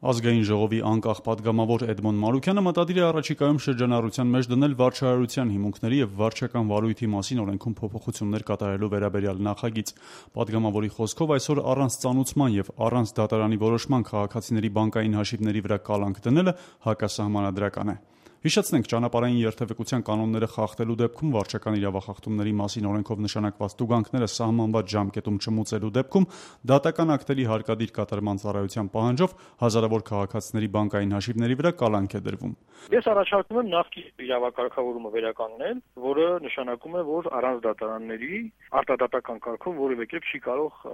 Ազգային ժողովի անկախ պատգամավոր Էդմոն Մանուկյանը մտադիր է առաջիկայում շրջանառության մեջ դնել վարչարարության հիմունքների և վարչական վարույթի մասին օրենքում փոփոխություններ կատարելու վերաբերյալ նախագիծ։ Պատգամավորի խոսքով այսօր առանց ծանուցման և առանց դատարանի որոշման քաղաքացիների բանկային հաշիվների վրա կալանք դնելը հակասահմանադրական է։ Հիշեցնենք, ճանապարհային երթևեկության կանոնները խախտելու դեպքում վարչական իրավախախտումների մասին օրենքով նշանակված տուգանքները սահմանված ժամկետում չմուծելու դեպքում դատական ակտերի հարկադիր կատարման ծառայության պահանջով հազարավոր քաղաքացիների բանկային հաշիվների վրա կալանք է դրվում։ Ես առաջարկում եմ նախկին իրավակարգավորումը վերականգնել, որը նշանակում է, որ առանց դատարանների արտադատական կարգով որևէ կերպ չի կարող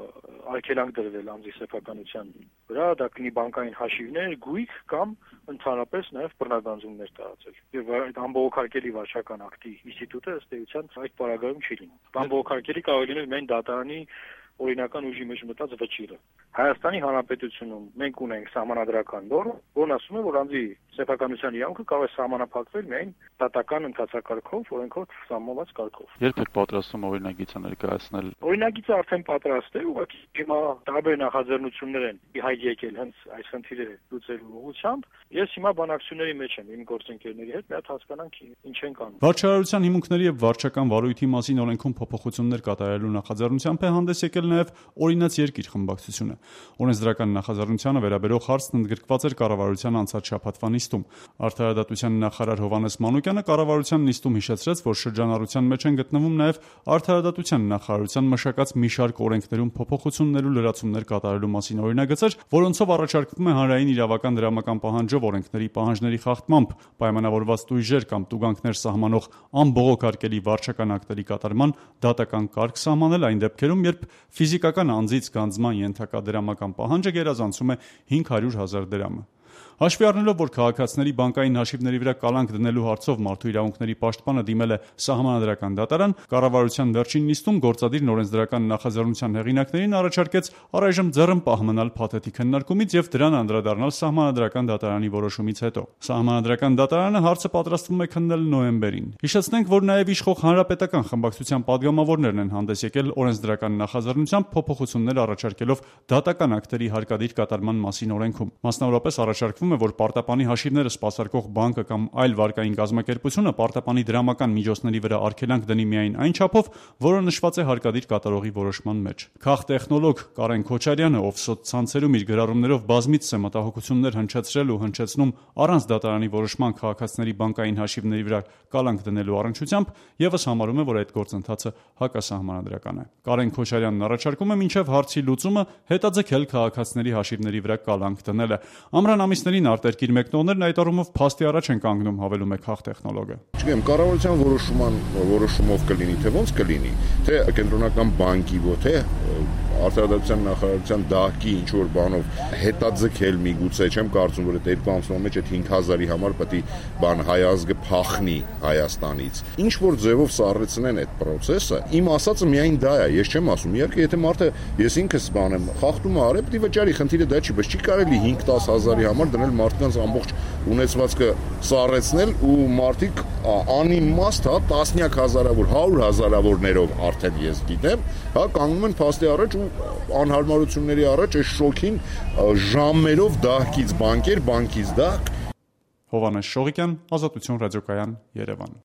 արգելանք դրվել անձի սեփականության վրա, դա կլինի բանկային հաշիվներ, գույք կամ ընդհանրապես նաև բռնագանձումներ տարածել։ Եվ այդ անբողոքարկելի վարչական ակտի ինստիտուտը ըստ էության այդ պարագայում չի լինում։ Անբողոքարկելի կարող է լինել միայն դատարանի օրինական ուժի մեջ մտած վճիռը։ Հայաստանի Հանրապետությունում մենք ունենք սահմանադրական նորմ, որն ասում է, որ անձի սեփականության իրավունքը կարող է սահմանափակվել միայն դատական ընթացակարգով, օրենքով սահմանված կարգով։ Երբ եք պատրաստում օրինագիծը ներկայացնել։ Օրինագիծը արդեն պատրաստ է, ուղղակի հիմա տարբեր նախաձեռնություններ են իհայտ եկել հենց այս խնդիրը լուծելու ուղղությամբ։ Ես հիմա բանակցությունների մեջ եմ իմ գործընկերների հետ, մի հատ հասկանանք ինչ են կանում։ Վարչարարության հիմունքների և վարչական վարույթի մասին օրենքում փոփոխություններ կատարելու նախաձեռնությամբ է հանդես եկել նաև Օրինաց երկիր խմբակցությունը։ Օրենսդրական նախաձեռնությանը վերաբերող հարցն ընդգրկված էր կառավարության անցած շաբաթվա նիստում։ Արդարադատության նախարար Հովհաննես Մանուկյանը կառավարության նիստում հիշեցրեց, որ շրջանառության մեջ են գտնվում նաև արդարադատության նախարարության մշակած մի շարք օրենքներում փոփոխություններ ու լրացումներ կատարելու մասին օրինագծեր, որոնցով առաջարկվում է հանրային իրավական դրամական պահանջով օրենքների պահանջների խախտմամբ պայմանավորված տույժեր կամ տուգանքներ սահմանող անբողոքարկելի վարչական ակտերի կատարման դատական կարգ սահմանել այն դեպքերում, երբ ֆիզիկական անձից գանձման ենթակա դրամական պահանջը գերազանցում է 500,000 դրամը։ Հաշվի առնելով, որ քաղաքացիների բանկային հաշիվների վրա կալանք դնելու հարցով մարդու իրավունքների պաշտպանը դիմել է սահմանադրական դատարան, կառավարության վերջին նիստում գործադիր օրենսդրական նախաձեռնության հեղինակներին առաջարկեց առայժմ ձեռնպահ մնալ փաթեթի քննարկումից և դրան անդրադառնալ սահմանադրական դատարանի որոշումից հետո։ Սահմանադրական դատարանը հարցը պատրաստվում է քննել նոյեմբերին։ Հիշեցնենք, որ նաև իշխող հանրապետական խմբակցության պատգամավորներն են հանդես եկել օրենսդրական նախաձեռնությամբ փոփոխություններ առաջարկելով դատական ակտերի հարկադիր կատարման մասին օրենքում։ Մասնավորապես առաջարկվում է, որ պարտապանի հաշիվները սպասարկող բանկը կամ այլ վարկային կազմակերպությունը պարտապանի դրամական միջոցների վրա արգելանք դնի միայն այն չափով, որը նշված է հարկադիր կատարողի որոշման մեջ։ Քաղտեխնոլոգ Կարեն Քոչարյանը, ով սոցցանցերում իր գրառումներով բազմիցս է մտահոգություններ հնչեցրել ու հնչեցնում առանց դատարանի որոշման քաղաքացիների բանկային հաշիվների վրա կալանք դնելու առնչությամբ, ևս համարում է, որ այդ գործընթացը հակասահմանադրական է։ Կարեն Քոչարյանն առաջարկում է մինչև հարցի լուծումը հետաձգել քաղաքացիների հաշիվների վրա կալանք դնելը։ Ամռան ամիսներին արտերկիր մեկնողներն այդ առումով փաստի առաջ են կանգնում, հավելում է քաղտեխնոլոգը։ Չգիտեմ, կառավարության որոշումով կլինի, թե ոնց կլինի, թե կենտրոնական բանկի, թե արդարադատության նախարարության դահկի ինչ որ բանով հետաձգել միգուցե, չեմ կարծում, որ այդ երկու ամսվա մեջ այդ 5,000-ի համար պետք է բան հայ ազգը փախնի Հայաստանից։ Ինչ որ ձևով սառեցնեն այդ process-ը, իմ ասածը միայն դա է, ես չեմ ասում, իհարկե, եթե մարդը ես ինքս բանեմ, խախտումը արել, պետք է վճարի, խնդիրը դա չի, բայց չի կարելի 5-10,000-ի համար դնել մարդկանց ամբողջ ունեցվածքը սառեցնել ու մարդիկ անիմաստ, տասնյակ հազարավոր, 100,000-որներով արդեն ես գիտեմ, կանգնում են փաստի առաջ ու անհարմարությունների առաջ այս շոքին ժամերով դահկից բանկեր, բանկից դահկ։ Հովհաննես Շողիկյան, Ազատություն ռադիոկայան, Երևան։